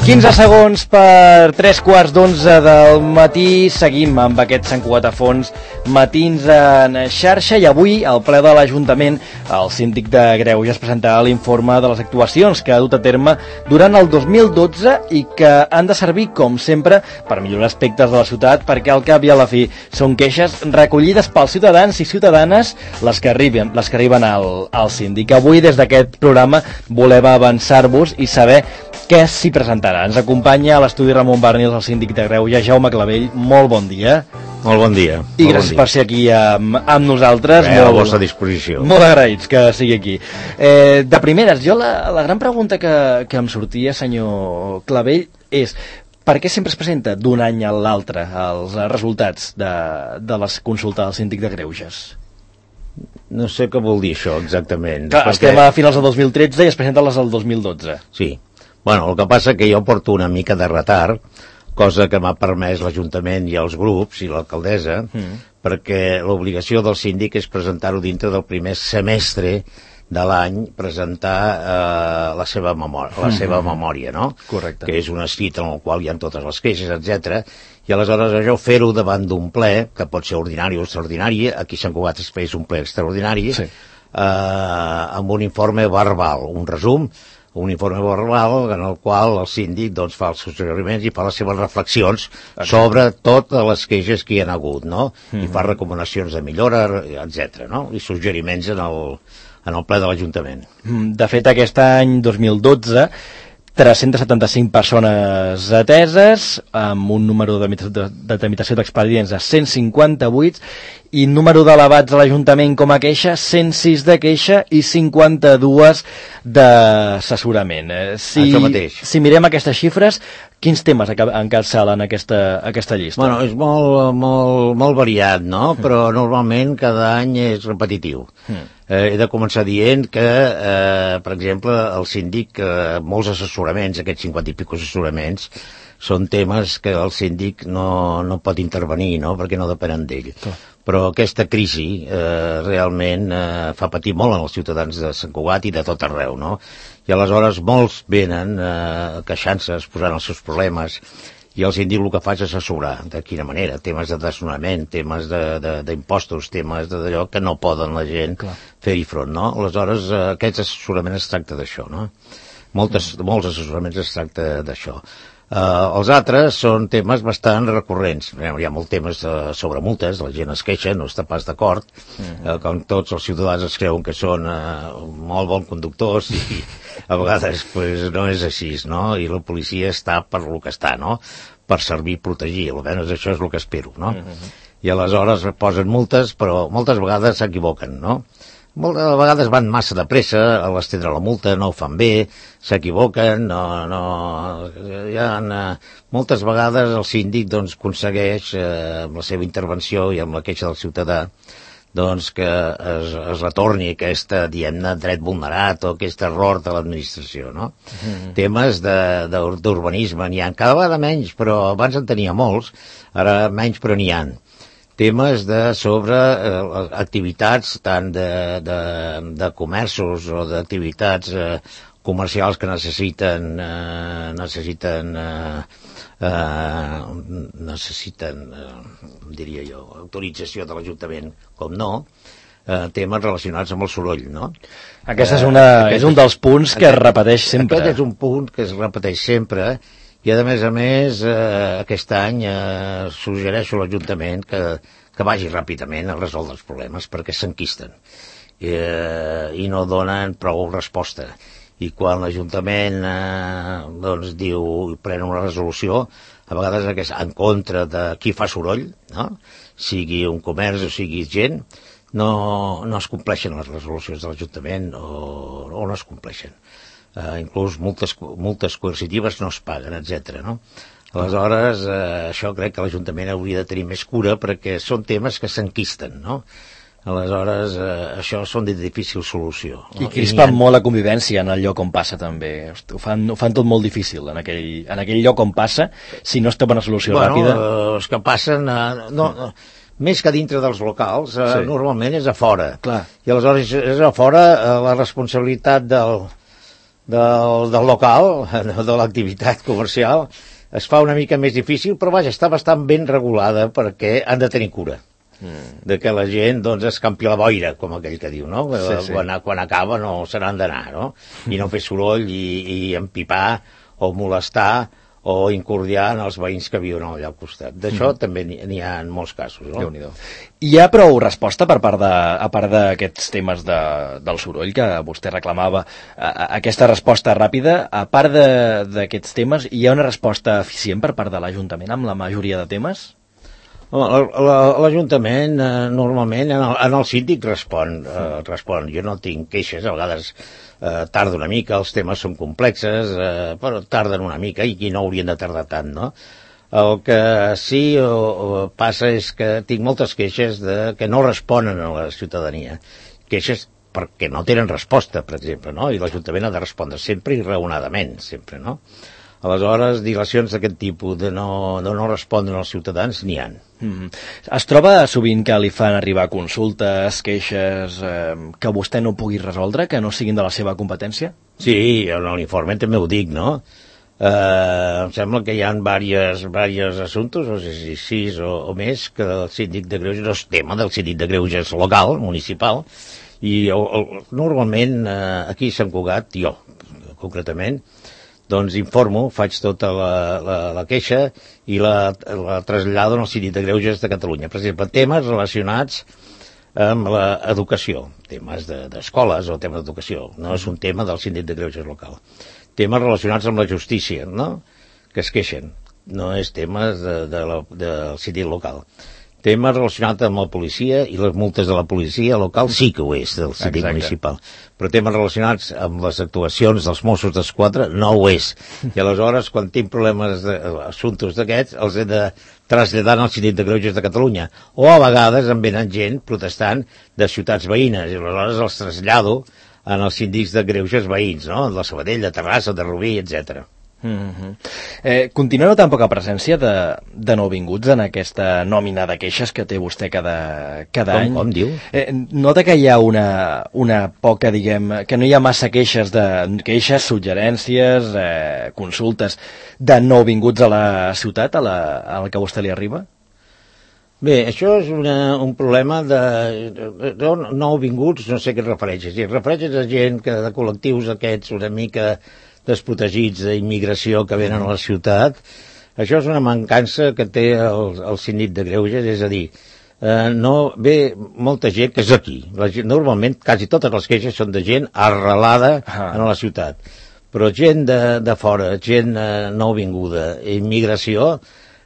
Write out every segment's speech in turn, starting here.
15 segons per 3:15 del matí. Seguim amb aquest Sant Cugat a fons, matins en xarxa, i avui al ple de l'Ajuntament el síndic de Greuges presentarà l'informe de les actuacions que ha dut a terme durant el 2012 i que han de servir, com sempre, per millorar aspectes de la ciutat, perquè al cap i a la fi són queixes recollides pels ciutadans i ciutadanes les que arriben al síndic. Avui, des d'aquest programa, volem avançar-vos i saber què s'hi presentarà. Ens acompanya a l'estudi Ramon Barnils, el síndic de Greuges, Jaume Clavell. Molt bon dia. Molt bon dia. I gràcies per ser aquí amb nosaltres. A la vostra disposició. Molt agraïts que sigui aquí. De primeres, jo la gran pregunta que em sortia, senyor Clavell, és per què sempre es presenta d'un any a l'altre els resultats de les consultes del síndic de Greuges? No sé què vol dir això exactament. Clar, estem a finals del 2013 i es presenten les del 2012. Sí. Bueno, el que passa que jo porto una mica de retard, cosa que m'ha permès l'Ajuntament i els grups i l'alcaldessa, perquè l'obligació del síndic és presentar-ho dintre del primer semestre de l'any, presentar la seva memòria, no? Correcte. Que és un escrit en el qual hi ha totes les queixes, etc. I aleshores això fer-ho davant d'un ple, que pot ser ordinari o extraordinari, aquí a Sant Cugat es fes un ple extraordinari, sí. Amb un informe verbal, un resum, un informe verbal en el qual el síndic doncs, fa els seus suggeriments i fa les seves reflexions sobre totes les queixes que hi ha hagut, no? I fa recomanacions de millora, etc. No? I suggeriments en el ple de l'Ajuntament. De fet, aquest any 2012 375 persones ateses, amb un número de tramitació d'expedients de 158 i número d'elevats a l'Ajuntament com a queixa, 106 de queixa i 52 d'assessorament. Això mateix. Si mirem aquestes xifres, quins temes encapçalen aquesta llista? Bueno, és molt variat, no? Però normalment cada any és repetitiu. He de començar dient que, per exemple, el síndic, molts assessoraments, aquests 50 i pico assessoraments, són temes que el síndic no pot intervenir, no?, perquè no depenen d'ell. Però aquesta crisi realment fa patir molt als ciutadans de Sant Cugat i de tot arreu, no? I aleshores molts venen queixant-se, exposant els seus problemes, i el síndic el que fa és assessorar. De quina manera? Temes de desnonament, temes d'impostos, temes d'allò que no poden la gent fer-hi front, no? Aleshores, aquest assessorament es tracta d'això, no? Molts assessoraments es tracta d'això. Els altres són temes bastant recurrents. Hi ha molts temes sobre multes, la gent es queixa, no està pas d'acord, com tots els ciutadans es creuen que són molt bons conductors i a vegades pues, no és així, no? I la policia està per lo que està, no? Per servir i protegir, almenys això és el que espero, no? I aleshores posen multes, però moltes vegades s'equivoquen, no? Moltes vegades van massa de pressa a l'estendre la multa, no ho fan bé, s'equivoquen, moltes vegades el síndic doncs, aconsegueix amb la seva intervenció i amb la queixa del ciutadà doncs, que es retorni aquesta, diguem-ne, dret vulnerat o aquest error de l'administració, no? Temes d'urbanisme n'hi ha cada vegada menys, però abans en tenia molts, ara menys però n'hi ha. Temes sobre activitats tant de comerços o d'activitats comercials que necessiten diria jo, autorització de l'Ajuntament, com no, temes relacionats amb el soroll, no? Aquest és un dels punts que es repeteix sempre. Aquest és un punt que es repeteix sempre, i a més, aquest any suggereixo a l'Ajuntament que vagi ràpidament a resoldre els problemes perquè s'enquisten i no donen prou resposta. i quan l'Ajuntament doncs pren una resolució, a vegades és en contra de qui fa soroll, no? Sigui un comerç o sigui gent, no es compleixen les resolucions de l'Ajuntament o no es compleixen. Inclús multes coercitives no es paguen, etc. No? Aleshores, això crec que l'Ajuntament hauria de tenir més cura perquè són temes que s'enquisten, no? Aleshores, això són de difícil solució. I crispen molt la convivència en el lloc on passa, també. Ho fan tot molt difícil, en aquell lloc on passa, si no es té una solució ràpida. Els que passen, més que dintre dels locals, normalment és a fora. Clar. I aleshores és a fora la responsabilitat del local, de l'activitat comercial, es fa una mica més difícil, però vaja, està bastant ben regulada perquè han de tenir cura. De que la gent doncs escampi la boira, com aquell que diu, no? Sí. Quan acaba no se n'han d'anar, no? I no fer soroll i empipar o molestar o incordiar en els veïns que viuen allà al costat. D'això també n'hi ha en molts casos, no? Déu-n'hi-do. Hi ha prou resposta a part d'aquests temes del soroll que vostè reclamava, aquesta resposta ràpida, a part d'aquests temes, hi ha una resposta eficient per part de l'Ajuntament amb la majoria de temes? L'Ajuntament normalment en el síndic respon. Jo no tinc queixes, a vegades tarda una mica, els temes són complexes, però tarden una mica i no haurien de tardar tant, no? El que sí passa és que tinc moltes queixes que no responen a la ciutadania. Queixes perquè no tenen resposta, per exemple, no? I l'Ajuntament ha de respondre sempre i raonadament, sempre, no? Aleshores, dilacions d'aquest tipus de no respondre als ciutadans n'hi ha. Es troba sovint que li fan arribar consultes, queixes, que vostè no pugui resoldre, que no siguin de la seva competència? Sí, en l'informe també ho dic, no? Em sembla que hi ha diversos assumptes, no sé si 6 o més, que el síndic de Greuges no és tema del síndic de Greuges local, municipal, i normalment aquí a Sant Cugat, jo concretament, doncs informo, faig tota la queixa i la trasllado al Síndic de Greuges de Catalunya. Per exemple, temes relacionats amb l'educació, temes d'escoles o temes d'educació, no és un tema del Síndic de Greuges local. Temes relacionats amb la justícia, no?, que es queixen, no és temes del Síndic local. Temes relacionats amb la policia i les multes de la policia local sí que ho és, del síndic municipal. Però temes relacionats amb les actuacions dels Mossos d'Esquadra no ho és. I aleshores, quan tinc problemes assumptes d'aquests, els he de traslladar al Síndic de Greuges de Catalunya. O a vegades em venen gent protestant de ciutats veïnes, i aleshores els trasllado en els síndics de Greuges veïns, no?, de Sabadell, de Terrassa, de Rubí, etc. Continua notant poca presència de nouvinguts en aquesta nòmina de queixes que té vostè cada any? Com diu? Nota que hi ha una poca, diguem, que no hi ha massa queixes, suggerències, consultes de nouvinguts a la ciutat, a la que a vostè li arriba? Bé, això és un problema de nouvinguts, no sé què et refereixes. Si et refereixes a gent de col·lectius aquests una mica desprotegits d'immigració que venen a la ciutat, això és una mancança que té el síndic de Greuges, és a dir, no ve molta gent que és aquí. Normalment, quasi totes les queixes són de gent arrelada en la ciutat, però gent de fora, gent nouvinguda, immigració,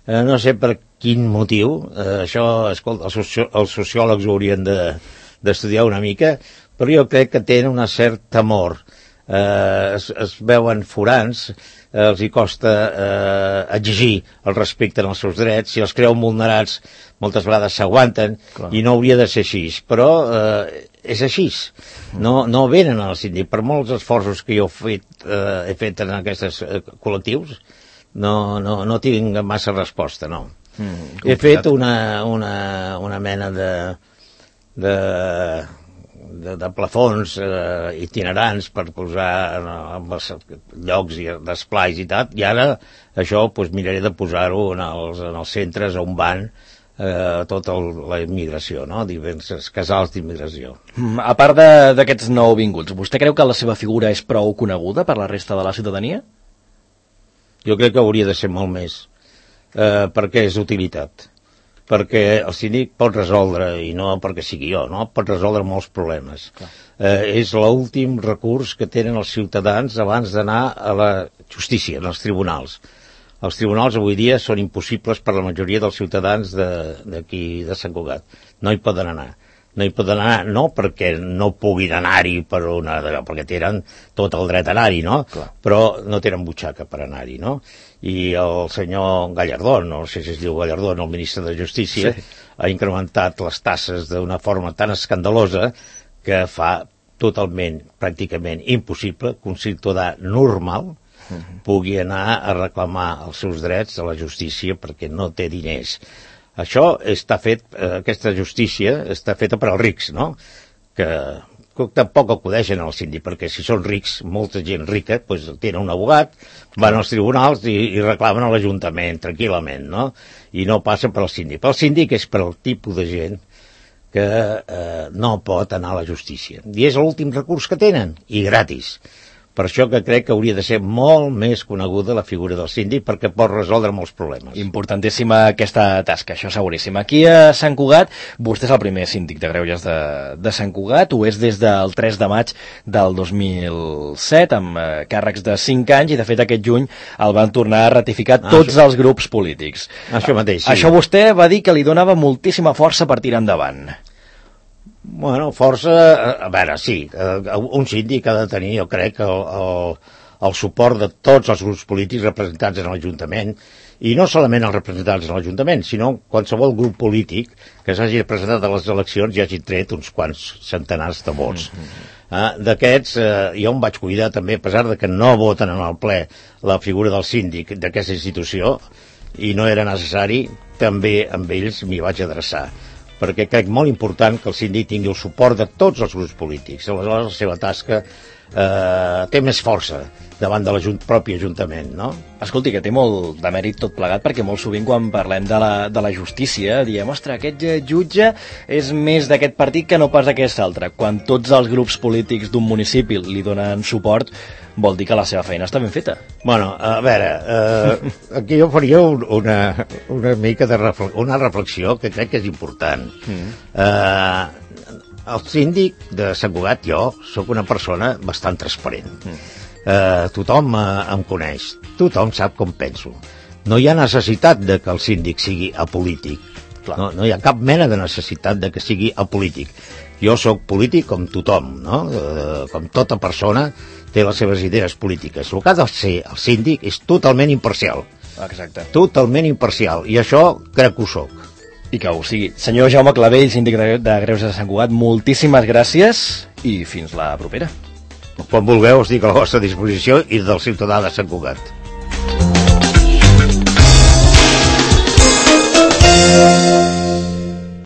no sé per quin motiu, això, escolta, els sociòlegs ho haurien d'estudiar una mica, però jo crec que tenen un cert temor. Es veuen forans, els hi costa exigir el respecte als seus drets, si els creuen vulnerats moltes vegades s'aguanten. Clar. I no hauria de ser així, però és així, no venen al síndic. Per molts esforços que jo he fet en aquests col·lectius, no tinc massa resposta, no. He fet una mena de plafons itinerants per posar en els llocs d'esplais i tal, i ara això miraré de posar-ho en els centres on van tota la immigració, no? Diversos casals d'immigració. A part d'aquests nouvinguts, vostè creu que la seva figura és prou coneguda per la resta de la ciutadania? Jo crec que hauria de ser molt més, perquè és utilitat. perquè el síndic pot resoldre, i no perquè sigui jo, no? Pot resoldre molts problemes. És l'últim recurs que tenen els ciutadans abans d'anar a la justícia, als tribunals. Els tribunals avui dia són impossibles per la majoria dels ciutadans d'aquí de Sant Cugat. No hi poden anar. No hi poden anar, no perquè no puguin anar-hi perquè tenen tot el dret a anar-hi, no? Clar. Però no tenen butxaca per anar-hi, no? I el senyor Gallardón, no sé si es diu Gallardón, el ministre de Justícia, ha incrementat les taxes d'una forma tan escandalosa que fa totalment, pràcticament impossible que un ciutadà normal pugui anar a reclamar els seus drets a la justícia perquè no té diners. Això està fet, aquesta justícia està feta per als rics, no? Que tampoc acudeixen al síndic, perquè si són rics, molta gent rica, doncs tenen un abogat, van als tribunals i reclamen a l'Ajuntament, tranquil·lament, no? I no passen per al síndic. El síndic és per al tipus de gent que no pot anar a la justícia. I és l'últim recurs que tenen, i gratis. Per això que crec que hauria de ser molt més coneguda la figura del síndic perquè pot resoldre molts problemes. Importantíssima aquesta tasca, això seguríssim. Aquí a Sant Cugat, vostè és el primer síndic de greuges de Sant Cugat, ho és des del 3 de maig del 2007, amb càrrecs de 5 anys, i de fet aquest juny el van tornar a ratificar tots els grups polítics. Això mateix, sí. Això vostè va dir que li donava moltíssima força per tirar endavant. Bueno, força, a veure, sí, un síndic ha de tenir, jo crec, el suport de tots els grups polítics representats en l'Ajuntament, i no solament els representats en l'Ajuntament, sinó qualsevol grup polític que s'hagi presentat a les eleccions i hagi tret uns quants centenars de vots. D'aquests, jo em vaig cuidar també, a pesar de que no voten en el ple la figura del síndic d'aquesta institució, i no era necessari, també amb ells m'hi vaig adreçar, perquè crec molt important que el síndic tingui el suport de tots els grups polítics. Aleshores, la seva tasca té més força davant de propi Ajuntament, no? Escolti, que té molt de mèrit tot plegat, perquè molt sovint quan parlem de la justícia diem, ostres, aquest jutge és més d'aquest partit que no pas d'aquest altre. Quan tots els grups polítics d'un municipi li donen suport, vol dir que la seva feina està ben feta. Bueno, a veure, aquí jo faria una mica una reflexió que crec que és important. El síndic de Sant Cugat, jo, sóc una persona bastant transparent. Tothom em coneix, tothom sap com penso. No hi ha necessitat de que el síndic sigui apolític. No hi ha cap mena de necessitat de que sigui apolític. Jo sóc polític com tothom, no? Com tota persona té les seves idees polítiques. El que ha de ser el síndic és totalment imparcial. Exacte. Totalment imparcial. I això crec que ho soc. I que ho sigui. Senyor Jaume Clavell, síndic de Greuges de Sant Cugat, moltíssimes gràcies i fins la propera. Quan vulgueu, estic a la vostra disposició i del ciutadà de Sant Cugat.